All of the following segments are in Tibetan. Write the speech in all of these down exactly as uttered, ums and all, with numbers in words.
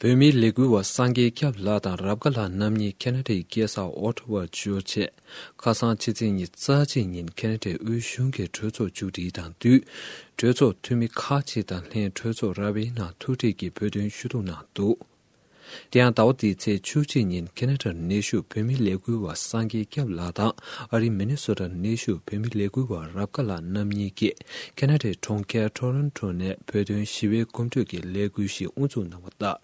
བོད་མིའི་ལས་འགུལ་བ་སངས་རྒྱས་སྐྱབས་ལགས་དང་རབ་དགའ་ལགས་རྣམ་གཉིས་ཁེ་ན་ཌའི་རྒྱལ་ས་ཨོ་ཊ་ཝར་འབྱོར་རྗེས། ཁ་སང་ཕྱི་ཚེས་ཉི་ཤུ་རྩ་གཅིག་ཉིན་ཁེ་ན་ཌའི་དབུས་གཞུང་གི་གྲོས་ཚོགས་མཇུག་སྒྲིལ་དང་དུས། གྲོས་ཚོགས་འཐུས་མི་ཁག་ཅིག་དང་ལྷན་གྲོས་ཚོགས་ར་བའི་ནང་ཐུག་འཕྲད་ཀྱིས་བོད་དོན་ཞུ་གཏུག་གནང་འདུག། དེ་ཡང་ཟླ་བ་འདིའི་ཚེས་བཅུ་གཅིག་ཉིན་ཁེ་ན་ཌར་གནས་བཞུགས་བོད་མིའི་ལས་འགུལ་བ་སངས་རྒྱས་སྐྱབས་ལགས་དང་ཨ་རིའི་མི་ནི་སོ་ཊར་གནས་བཞུགས་བོད་མིའི་ལས་འགུལ་བ་རབ་དགའ་ལགས་རྣམ་གཉིས་ཀྱིས་ཁེ་ན་ཌའི་གྲོང་ཁྱེར་ཊོ་རོན་ཊོ་ནས་བོད་དོན་ཞི་བའི་གོམ་བགྲོད་ཀྱི་ལས་འགུལ་ཞིག་དབུ་འཛུགས་གནང་བ་ལྟར།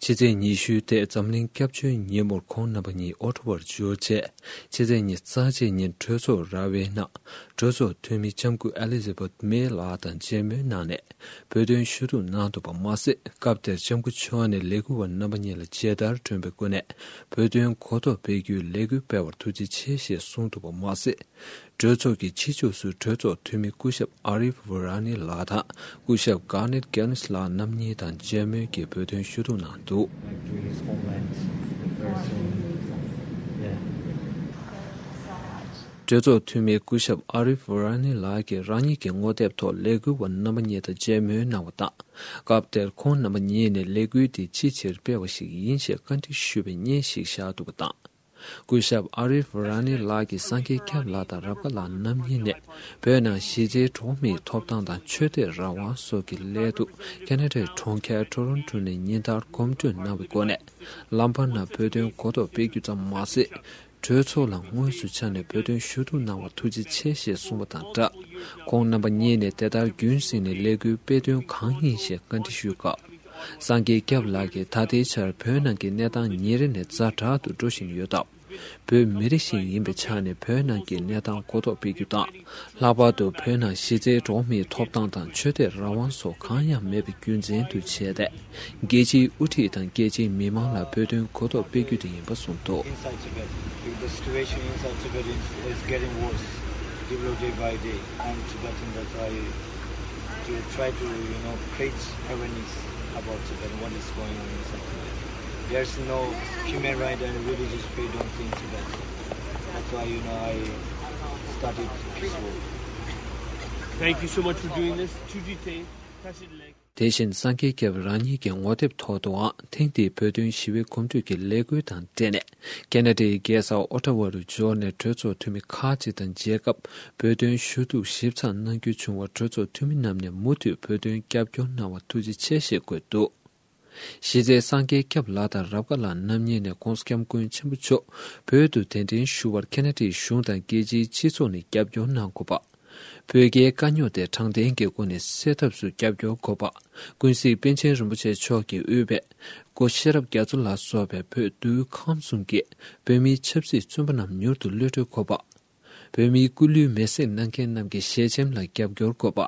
ཕྱི་ཚེས་ཉི་ཤུའི་ཐད་འཛམ་གླིང་སྐྱབས་བཅོལ་ཉིན་མོར་ཁོང་རྣམ་པ་གཉིས་ཨོ་ཊ་ཝར་འབྱོར་རྗེས། ཕྱི་ཚེས་ཉི་ཤུ་རྩ་གཅིག་ཉིན་གྲོས་ཚོགས་ར་བའི་ནང་གྲོས་ཚོགས་འཐུས་མི་ལྕམ་སྐུ་ཨེ་ལི་ཛ་བེཐ་མེ་ལགས་དང་མཇལ་མོལ་གནང་ནས་བོད་དོན་ཞུ་གཏུག་གནང་འདུག་པ་མ་ཟད། སྐབས་དེར་ལྕམ་སྐུ་མཆོག་ནས་ལས་འགུལ་བ་རྣམ་པ་གཉིས་ལ་མཇལ་དར་སྒྲོན་པའི་སྒོ་ནས་བོད་དོན་གོ་རྟོགས་སྤེལ་རྒྱུའི་ལས་འགུལ་སྤེལ་བར་ཐུགས་རྗེ་ཆེ་ཞེས་གསུངས་འདུག་པ་མ་ཟད། གྲོས་ཚོགས་ཀྱི་ཕྱི་ཕྱོགས་སུ་གྲོས་ཚོགས་འཐུས་མི་སྐུ་ཞབས་ཨ་རིབ་ཝ་ར་ནི་ལགས་དང་སྐུ་ཞབས་གར་ནེད་གེ་ནིས་ལགས་རྣམ་གཉིས་དང་མཇལ་མོལ་གྱིས་བོད་དོན་ཞུ་གཏུག་གནང་འདུག། Back to his homeland very soon. Yeah. གྲོས་ཚོགས་འཐུས་མི་སྐུ་ཞབས་ཨ་རིབ་ཝ་ར་ནི་ལགས་ཀྱིས་རང་ཉིད་ཀྱི་ངོ་དེབ་ཐོག་ལས་འགུལ་བ་རྣམ་པ་གཉིས་དང་མཇལ་མོལ་གནང་བ་དང་། སྐབས་དེར་ཁོང་རྣམ་པ་གཉིས་ནས་ལས་འགུལ་འདི་ཅིའི་ཕྱིར་སྤེལ་བ་ཞིག་ཡིན་ཞེས་བཀའ་འདྲི་ཞུས་པའི་བརྙན་ཞིག་བཞག་འདུག་པ་དང་། སྐུ་ཞབས་ཨ་རིབ་ར་ནི་ལགས་ཀྱིས་སངས་རྒྱས་སྐྱབས་ལགས་དང་རབ་དགའ་ལགས་རྣམ་གཉིས་ནས་བོད་ནང་གཞི་རྩའི་འགྲོ་བ་མིའི་ཐོབ་ཐང་དང་ཆོས་དད་རང་དབང་སོགས་ཀྱི་སླད་དུ་ཁེ་ན་ཌའི་གྲོང་ཁྱེར་ཊོ་རོན་ཊོ་ནས་ཉིན་ལྟར་གོམ་བགྲོད་གནང་བའི་སྒོ་ནས། ལམ་བར་ན་བོད་དོན་གོ་རྟོགས་སྤེལ་རྒྱུ་ཙམ་མ་ཟད། གྲོས་ཚོགས་ལ་དངོས་སུ་ཕྱག་ནས་བོད་དོན་ཞུ་གཏུག་གནང་བར་ཐུགས་རྗེ་ཆེ་ཞེས་གསུངས་པ་དང་སྦྲགས། ཁོང་རྣམ་པ་གཉིས་ནས་དེ་ལྟར་རྒྱུན་བསྲིངས་ནས་ལས་འགུལ་སྤེལ་དོན་གང་ཡིན་ཞེས་བཀའ་འདྲི་ཞུས་སྐབས། སངས་རྒྱས་སྐྱབས་ལགས་ཀྱིས་ད་ལྟའི་ཆར་བོད་ནང་གི་གནས་སྟངས་ཉིན་རེ་ནས་ཛ་དྲག་ཏུ་འགྲོ་བཞིན་ཡོད་སྟབས། བོད་མི་རིགས་ཤིག་ཡིན་པའི་ཆ་ནས་བོད་ནང་གི་གནས་སྟངས་གོ་རྟོགས་སྤེལ་རྒྱུ་དང་། ལྷག་པར་དུ་བོད་ནང་གཞི་རྩའི་འགྲོ་བ་མིའི་ཐོབ་ཐང་དང་ཆོས་དད་རང་དབང་སོགས་གང་ཡང་མེད་པའི་རྒྱུ་མཚན་དུ་བྱས་ཏེ། རྒྱལ་སྤྱིའི་དབུ་ཁྲིད་དང་རྒྱལ་སྤྱིའི་མི་མང་ལ་བོད་དོན་གོ་རྟོགས་སྤེལ་རྒྱུ་དེ་ཡིན་པ་གསུངས་འདུག། Inside Tibet, because the situation inside Tibet is, is getting worse, day by day, and Tibetan, that's why to try to, you know, create awareness about Tibet, what is going on inside Tibet. There's no human right and religious freedom in Tibet. That's why, you know, I started this work. Thank you so much for doing this. To detain, touch it leg. དེ་བཞིན་སངས་རྒྱས་སྐྱབས་རང་ཉིད་ཀྱི་ངོ་དེབ་ཐོག་ཏུའང་ཐེངས་འདིའི་བོད་དོན་ཞི་བའི་གོམ་བགྲོད་ཀྱི་ལས་འགུལ་དང་འབྲེལ་ནས། ཁེ་ན་ཌའི་རྒྱལ་ས་ཨོ་ཊ་ཝ་རུ་འབྱོར་ནས་གྲོས་ཚོགས་འཐུས་མི་ཁག་ཅིག་དང་མཇལ་སྐབས། བོད་དོན་ཞུ་གཏུག་ཞིབ་ཚགས་གནང་རྒྱུ་བྱུང་བར་གྲོས་ཚོགས་འཐུས་མི་རྣམས་ནས་མུ་མཐུད་བོད་དོན་རྒྱབ་སྐྱོར་གནང་བར་ཐུགས་རྗེ་ཆེ་ཞེས་བཀོད་འདུག། གཞི་རྩའི་སངས་རྒྱས་སྐྱབས་ལགས་དང་རབ་དགའ་ལགས་རྣམ་གཉིས་ནས་༧གོང་ས་༧སྐྱབས་མགོན་ཆེན་པོ་མཆོག་བོད་དུ་གདན་འདྲེན་ཞུ་བར་ཁེ་ན་ཌའི་གཞུང་དང་རྒྱལ་སྤྱིའི་སྤྱི་ཚོགས་ནས་རྒྱབ་སྐྱོར་གནང་དགོས་པ། བོད་རྒྱའི་དཀའ་རྙོག་དེ་དྲང་བདེན་གྱི་སྒོ་ནས་སེལ་ཐབས་སུ་རྒྱབ་སྐྱོར་དགོས་པ། ཀུན་གཟིགས་པཎ་ཆེན་རིན་པོ་ཆེ་མཆོག་གིས་དབུས་པའི་སྐུ་ཤེས་རབ་རྒྱ་མཚོ་ལ་སོགས་པའི་བོད་དུས་ཁམས་གསུམ་གྱི་བོད་མིའི་ཆབ་སྲིད་བཙོན་པ་རྣམས་མྱུར་དུ་གློད་གྲོལ་དགོས་པ། བོད་མིའི་སྐུ་ལུས་མེར་སྲེག་གནང་མཁན་རྣམས་ཀྱི་ཞལ་ཆེམས་ལ་རྒྱབ་སྐྱོར་དགོས་པ།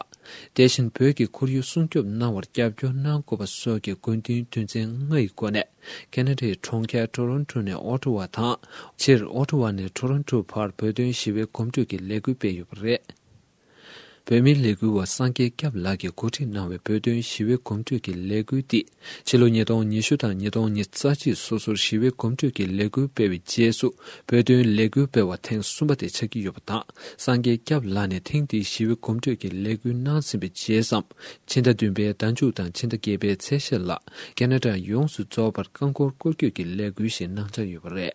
དེ་བཞིན་བོད་ཀྱི་ཁོར་ཡུག་སྲུང་སྐྱོབ་གནང་བར་རྒྱབ་སྐྱོར་གནང་དགོས་པ་སོགས་ཀྱི་དགོས་འདུན་དོན་ཚན་ལྔ་ཡི་སྒོ་ནས། ཁེ་ན་ཌའི་གྲོང་ཁྱེར་ཊོ་རོན་ཊོ་ནས་ཨོ་ཊ་ཝ་དང་། སྤྱིར་ཨོ་ཊ་ཝ་ནས་ཊོ་རོན་ཊོ་བར་བོད་དོན་ཞི་བའི་གོམ་བགྲོད་ཀྱི་ལས་འགུལ་སྤེལ་ཡོད་པ་རེད། བོད་མིའི་ལས་འགུལ་བ་སངས་རྒྱས་སྐྱབས་ལགས་ཀྱིས་གོ་སྒྲིག་གནང་བའི་བོད་དོན་ཞི་བའི་གོམ་བགྲོད་ཀྱི་ལས་འགུལ་འདི། ཕྱི་ལོ་ཉིས་སྟོང་ཉི་ཤུ་དང་ཉིས་སྟོང་ཉི་ཤུ་རྩ་གཅིག་སོ་སོར་ཞི་བའི་གོམ་བགྲོད་ཀྱི་ལས་འགུལ་སྤེལ་བའི་རྗེས་སུ། བོད་དོན་ལས་འགུལ་སྤེལ་བ་ཐེངས་གསུམ་པ་དེ་ཆགས་ཀྱི་ཡོད་པ་དང་། སངས་རྒྱས་སྐྱབས་ལགས་ནས་ཐེངས་འདིའི་ཞི་བའི་གོམ་བགྲོད་ཀྱི་ལས་འགུལ་གནང་ཟིན་པའི་རྗེས་སམ། ཕྱི་ཟླ་བདུན་པའི་ཟླ་མཇུག་དང་ཕྱི་ཟླ་བརྒྱད་པའི་ཚེས་ཤར་ལ། ཁེ་ན་ཌ་ཡོངས་སུ་རྫོགས་པར་རྐང་འཁོར་སྐོར་སྐྱོད་ཀྱི་ལས་འགུལ་ཞིག་གནང་འཆར་ཡོད་པ་རེད།